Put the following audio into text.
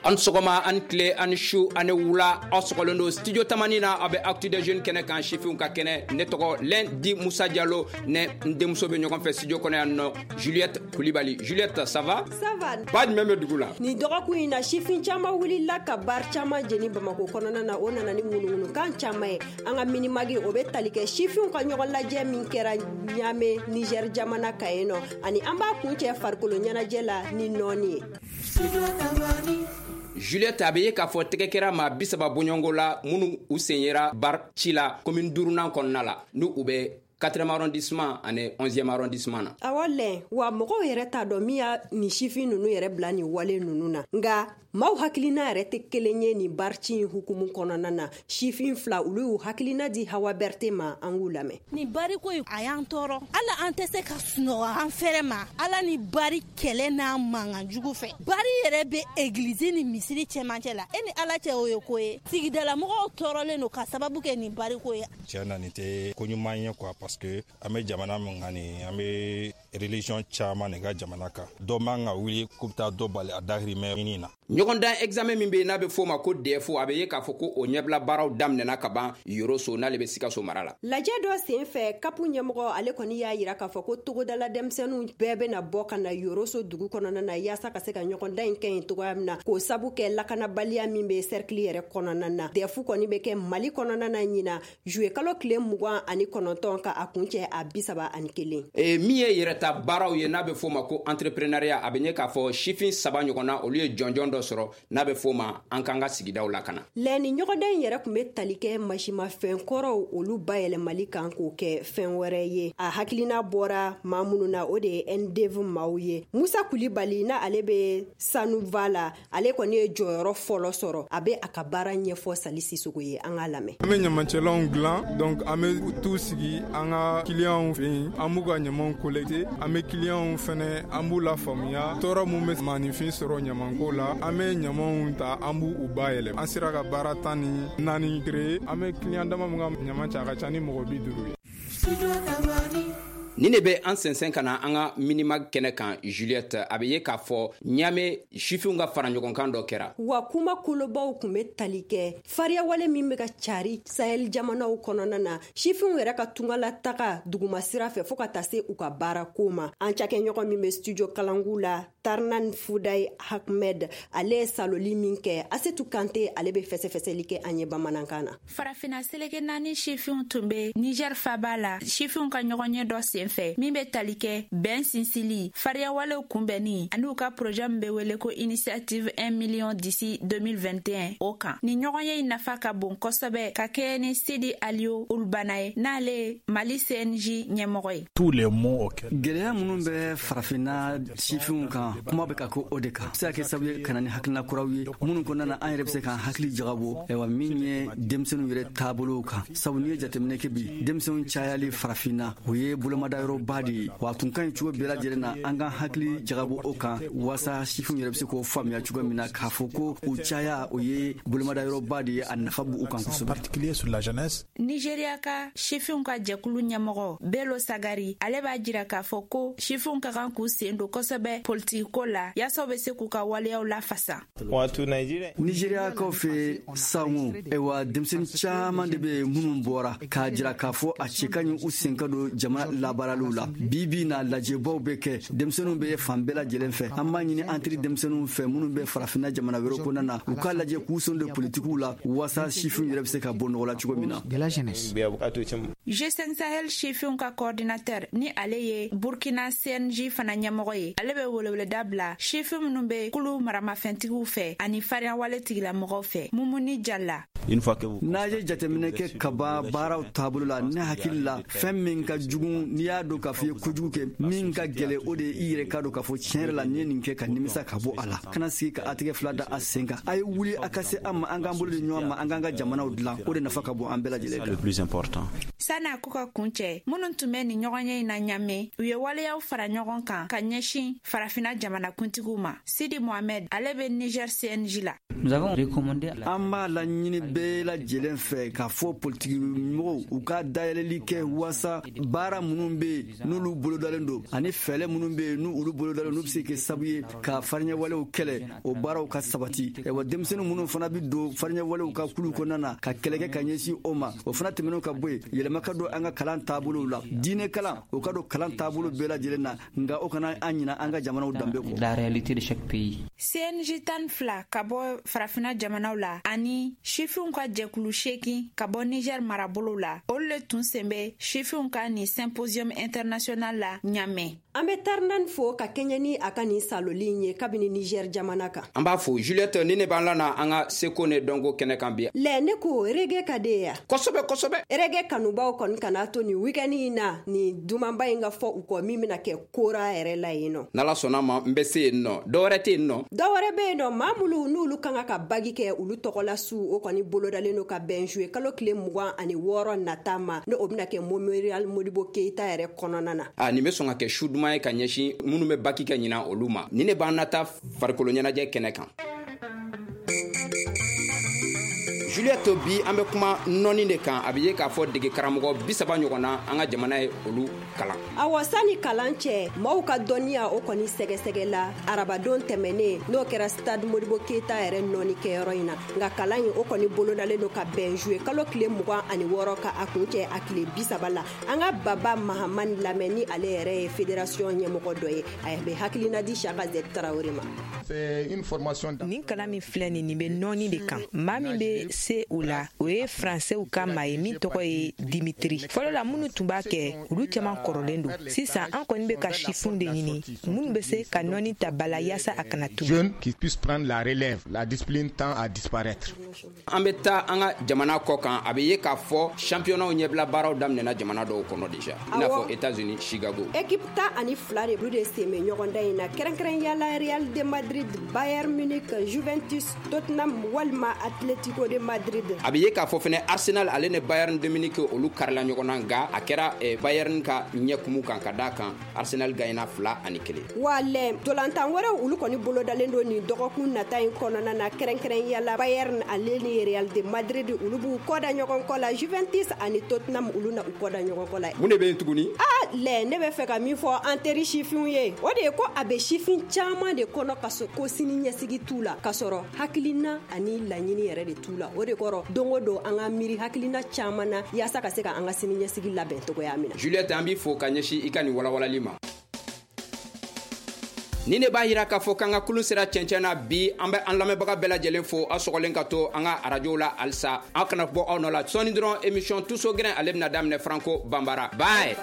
An sɔgɔma, an tile, an su ani wula, aw sɔgɔlen don Studio Tamani na. Aw bɛ Actu des Jeunes kɛnɛ kan, sifinw ka kɛnɛ. Ne tɔgɔ Lundi Musa Jalo. Ne n denmuso bɛ ɲɔgɔn fɛ studio kɔnɔ yan nɔ, Juliette Kulibali. Juliette, ça va? Ça va. Ba jumɛn bɛ dugu la? Nin dɔgɔkun in na, sifin caman wulila ka bar caman jeni Bamako kɔnɔna na. O nana ni ŋunuŋunukan caman ye. An ka Mini-Mag, o bɛ tali kɛ sifinw ka ɲɔgɔn lajɛ min kɛra Ɲame, Niger jamana kan yen nɔ, ani an b'a kuncɛ farikolo ɲɛnajɛ la ni nɔɔni ye. Juliette, a bɛ ye k'a fɔ tɛgɛ kɛra maa 30 bɔɲɔgɔnko la minnu u sen yera bar ci la commune duurunan kɔnɔna la, n'u u bɛ 4e arrondissement ani 11e arrondissement na. Awɔ lɛn, wa mɔgɔw yɛrɛ t'a dɔn min y'a nin sifin ninnu yɛrɛ bila nin wale ninnu na, nka maaw hakilina yɛrɛ tɛ kelen ye nin barci in hukumu kɔnɔna na. Sifin fila, olu y'u hakilina di Hawa Berte ma, an k'u lamɛn. Nin bariko in, a y'an tɔɔrɔ. Ala, an tɛ se ka sunɔgɔ an fɛrɛ ma. Ala ni bari kɛlɛ n'a mankan jugu fɛ. Bari yɛrɛ bɛ egilizi ni misiri cɛmancɛ la. E ni Ala cɛ, o ye ko ye. Sigidalamɔgɔw tɔɔrɔlen don ka sababu kɛ nin bariko ye. Tiɲɛ na, nin tɛ ko ɲuman ye quoi, parce que an bɛ jamana min kan nin, an bɛ religion caman de ka jamana kan. Dɔ man ka wuli k'u bɛ taa dɔ bali a dahirimɛ ɲini na. Ɲɔgɔndan examen min bɛ yen n'a bɛ f'o ma ko DEF, a bɛ ye k'a fɔ ko o ɲɛbila baaraw daminɛna ka ban Yoroso, n'ale bɛ Sikaso mara la. Lajɛ dɔ sen fɛ, CAP ɲɛmɔgɔ, ale kɔni y'a yira k'a fɔ ko togodala denmisɛnninw bɛɛ bɛna bɔ ka na Yoroso dugu kɔnɔna na, yaasa ka se ka ɲɔgɔndan in kɛ yen cogoya min na, k'o sabu kɛ lakanabaliya min bɛ cercle yɛrɛ kɔnɔna na. DEF kɔni bɛ kɛ Mali kɔnɔna na ɲina juillet kalo tile 29 ka a kuncɛ a 31. Min ye yɛrɛta baaraw ye n'a bɛ f'o ma ko entrepreneuriat, a bɛ ɲɛ k'a fɔ sifin saba ɲɔgɔn na, olu ye jɔnjɔn dɔ sɔrɔ n'a bɛ f'o ma an k'an ka sigidaw lakana. Lɛni ɲɔgɔndan in yɛrɛ tun bɛ tali kɛ masimafɛn kɔrɔw, olu bayɛlɛmali kan k'o kɛ fɛn wɛrɛ ye. A hakilina bɔra maa minnu na, o de ye NDV maaw ye. Musa Kulibali, n'a ale bɛ Sanuva la, ale kɔni ye jɔyɔrɔ fɔlɔ sɔrɔ. A bɛ a ka baara ɲɛfɔ Sali Sisogo ye, an k'a lamɛn. An bɛ ɲamancɛlanw dilan, donc an bɛ t'u sigi an ka kiliyanw fɛ yen, an b'u ka ɲamanw collecter. An bɛ kiliyanw fɛnɛ, an b'u lafaamuya tɔɔrɔ mun bɛ maaninfin sɔrɔ ɲamanko la. An bɛ ɲamanw ta, an b'u u bayɛlɛma. An sera ka baara 14 créer. An bɛ kiliyan dama mun ka ɲaman cɛ, a ka ca ni mɔgɔ 50 ye. Nin de bɛ an sɛnsɛn ka na an ka Mini-Mag kɛnɛ kan. Juliette, a bɛ ye k'a fɔ Ɲame sifinw ka fara ɲɔgɔn kan dɔ kɛra. Wa kuma kolobaw tun bɛ tali kɛ fariyawale min bɛ ka cari Sahel jamanaw kɔnɔna na, sifinw yɛrɛ ka tungala taga duguma sira fɛ, fɔɔ ka taa se u ka baarako ma. An cakɛɲɔgɔn min bɛ Studio Kalangu la, Tarnan Fuday Ahmed, ale ye saloli min kɛ Asetu Kante, ale bɛ fɛsɛfɛsɛli kɛ an ye bamanankan na. Farafina seleke naani sifinw tun bɛ Niger faba la, sifinw ka ɲɔgɔnye dɔ sen fɛ min bɛ tali kɛ bɛn sinsili, fariyawalew kunbɛnni ani u ka projet min bɛ wele ko Initiative 1 million d'ici 2021, o kan. Nin ɲɔgɔnye in nafa ka bon kosɛbɛ ka kɛɲɛ ni Sidi Aliyo Ulubana ye, n'ale ye Mali CNJ ɲɛmɔgɔ ye. Tous les maux auxquels Gɛlɛya minnu bɛ farafinna sifinw kan, kuma bɛ ka kɛ o de kan, se ka kɛ sababu ye ka na ni hakilina kuraw ye minnu kɔnɔna na an yɛrɛ bɛ se k'an hakili jagabɔ, ayiwa, min ye denmisɛnninw yɛrɛ taabolow kan, sabu n'i ye jateminɛ kɛ bi, denmisɛnw cayali farafinna, o ye bolomadayɔrɔba de ye. Wa a tun ka ɲi cogo bɛɛ lajɛlen na an k'an hakili jagabɔ o kan, waasa sifinw yɛrɛ bɛ se k'o faamuya cogo min na k'a fɔ ko u caya, o ye bolomadayɔrɔba de ye, a nafa b'u kan kosɛbɛ. Particulier sur la jeunesse. Nigeriya ka sifinw ka jɛkulu ɲɛmɔgɔ Belo Sagari, ale b'a jira k'a fɔ ko sifinw ka kan k'u sen don kosɛbɛ politikiko la, yaasa u bɛ se k'u ka waleyaw lafasa. Wato Nigeria. Nizeriyakaw fɛ sango, ayiwa, denmisɛnnin caman de bɛ minnu bɔra k'a jira k'a fɔ a cɛ ka ɲi u sen ka don jamana labaaraliw la. Bi bi na, lajɛbaw bɛ kɛ, denmisɛnninw bɛ fan bɛɛ lajɛlen fɛ. An b'a ɲini an teri denmisɛnninw fɛ minnu bɛ farafinna jamana wɛrɛ kɔnɔna na, u k'a lajɛ k'u sen don politikiw la, waasa sifinw yɛrɛ bɛ se ka bɔ nɔgɔ la cogo min na. G5 Sahel sifinw ka coordinateur, ni ale ye Burkina CNJ fana ɲɛmɔgɔ ye, ale bɛ weleweleda bila sifin minnu bɛ kulu maramafɛntigiw fɛ ani fariyawale tigilamɔgɔw fɛ. Mumuni Jala. N'a ye jateminɛ kɛ ka ban baaraw taabolo la, ne hakili la, fɛn min ka jugu, n'i y'a dɔn k'a fɔ i ye kojugu kɛ, min ka gɛlɛ, o de ye i yɛrɛ k'a dɔn k'a fɔ tiɲɛ yɛrɛ la n'i ye nin kɛ, ka nimisa ka bɔ a la, kana sigi ka a tigɛ fila da a sen kan. A ye wuli, a ka se an ma, an k'an bolo di ɲɔgɔn ma, an k'an ka jamanaw dilan. O de nafa ka bon an bɛɛ lajɛlen kan. San'a ko ka kuncɛ, minnu tun bɛ nin ɲɔgɔnye in na Ɲame, u ye waleyaw fara ɲɔgɔn kan ka ɲɛsin Farafina jamanakuntigiw ma. Sidi Mohamed, ale bɛ Niger CNJ la. An b'a laɲini bɛɛ lajɛlen fɛ k'a fɔ politiki mɔgɔw u ka dayɛlɛli kɛ waasa baara minnu bɛ yen n'olu bolodalen don, ani fɛɛrɛ minnu bɛ yen n'olu bolodalen, n'u bɛ se kɛ sababu ye ka fariɲɛwalew kɛlɛ, o baaraw ka sabati. Wa denmisɛnnin minnu fana bɛ don fariɲɛwalew ka kulu kɔnɔna na ka kɛlɛ kɛ ka ɲɛsin o ma, o fana tɛmɛnen ka bɔ yen, yɛlɛma ka don an ka kalan taabolow la, diinɛ kalan o ka don kalan taabolo bɛɛ lajɛlen na, nka o kana an ɲina an ka jamanaw danbe kɔ. La réalité de chaque pays. CNJ 12 ka bɔ Farafina jamanaw la ani sifinw ka jɛkulu 8 ka bɔ Niger marabolo la, olu le tun sen bɛ sifinw ka nin symposium international la Ɲamɛ. An bɛ Tarnan fo ka kɛɲɛ ni a ka nin saloli in ye kabini Niger jamana kan. An b'a fo Juliette, ni ne b'an la na an ka seko ne dɔnko kɛnɛ kan bi. Lɛ, ne ko reggae ka de ya. Kosɛbɛ kosɛbɛ. Reggae kanubaw kɔni kana to nin weekend in na nin dumanba in ka fɔ u kɔ, min bɛna kɛ kora yɛrɛ la yen nɔ. N'Ala sɔnna ma, n bɛ se yen nɔ. Dɔ wɛrɛ tɛ yen nɔ. Dɔ wɛrɛ bɛ yen nɔ, maa minnu n'olu kan ka bagi kɛ olu tɔgɔla su, o kɔni bolodalen don ka bɛn juillet kalo tile 26 nata ma, n'o bɛna kɛ Memorial Modibo Keita yɛrɛ kɔnɔna na. A nin bɛ sɔn ka kɛ su duman ye ka ɲɛsin minnu bɛ baki kɛ ɲinan olu ma. Ni ne b'an nata farikolo ɲɛnajɛ kɛnɛ kan. Juliette, bi an bɛ kuma nɔni de kan. A bɛ ye k'a fɔ dege karamɔgɔ 30 ɲɔgɔn na an ka jamana ye olu kalan. Awɔ, sani kalan cɛ, maaw ka dɔnniya o kɔni sɛgɛsɛgɛ la arabadon tɛmɛnen, n'o kɛra stade Modibo Keita yɛrɛ nɔni kɛyɔrɔ in na. Nka kalan in o kɔni bolodalen don ka bɛn juillet kalo tile 26 ka a kun cɛ a tile 30 la. An ka Baba Mahamani lamɛn, ni ale yɛrɛ ye fédération ɲɛmɔgɔ dɔ ye, a bɛ hakilina di Saka Z Tarawele ma. Nin kalan min filɛ nin bɛ nɔni de kan. Maa min bɛ se o la, o ye faransɛw ka maa ye min tɔgɔ ye Dimitri. Fɔlɔ la, minnu tun b'a kɛ, olu caman kɔrɔlen don. Sisan an kɔni bɛ ka sifinw de ɲini minnu bɛ se ka nɔni ta ba la yaasa a kana tunu. An bɛ taa an ka jamana kɔ kan. A bɛ ye k'a fɔ championnat ɲɛbila baaraw daminɛna jamana dɔw kɔnɔ déjà, i n'a fɔ États-Unis, Chicago. Équipe 12 de olu de sen bɛ ɲɔgɔndan in na, kɛrɛnkɛrɛnya la Real de Madrid, Bayern Munich, Juventus, Tottenham walima Atlético de Madrid. A bɛ ye k'a fɔ fɛnɛ Arsenal ale ni Bayern de Munich olu karila ɲɔgɔn na, nka a kɛra Bayern ka ɲɛkumu kan ka d'a kan Arsenal gagnera 2-1. Wa lɛ, ntolantan wɛrɛw olu kɔni bolodalen don nin dɔgɔkun nata in kɔnɔna na, kɛrɛnkɛrɛnya la Bayern ale ni Real de Madrid olu b'u kɔda ɲɔgɔn kɔ la, Juventus ani Tottenham olu na u kɔda ɲɔgɔn kɔ la. Mun de bɛ yen tuguni? Ah lɛ, ne bɛ fɛ ka min fɔ an teri sifinw ye, o de ye ko a bɛ sifin caman de kɔnɔ ka ko sini ɲɛsigi t'u la, k'a sɔrɔ hakilina ani laɲini yɛrɛ de t'u la. O de kɔrɔ, don o don an ka miiri hakilina caman na yaasa ka se ka an ka sini ɲɛsigi labɛn cogoya min na. Juliette, an b'i fo ka ɲɛsin i ka nin walawalali ma. Ni ne b'a yira k'a fɔ k'an ka kulun sera cɛncɛn na bi, an bɛ an lamɛnbaga bɛɛ lajɛlen fo, aw sɔgɔlen ka to an ka arajow la halisa. Aw kana bɔ aw nɔ la sɔɔni dɔrɔn, émission Tuso Gɛrɛn ale bɛna daminɛ Franco Bambara. Bye.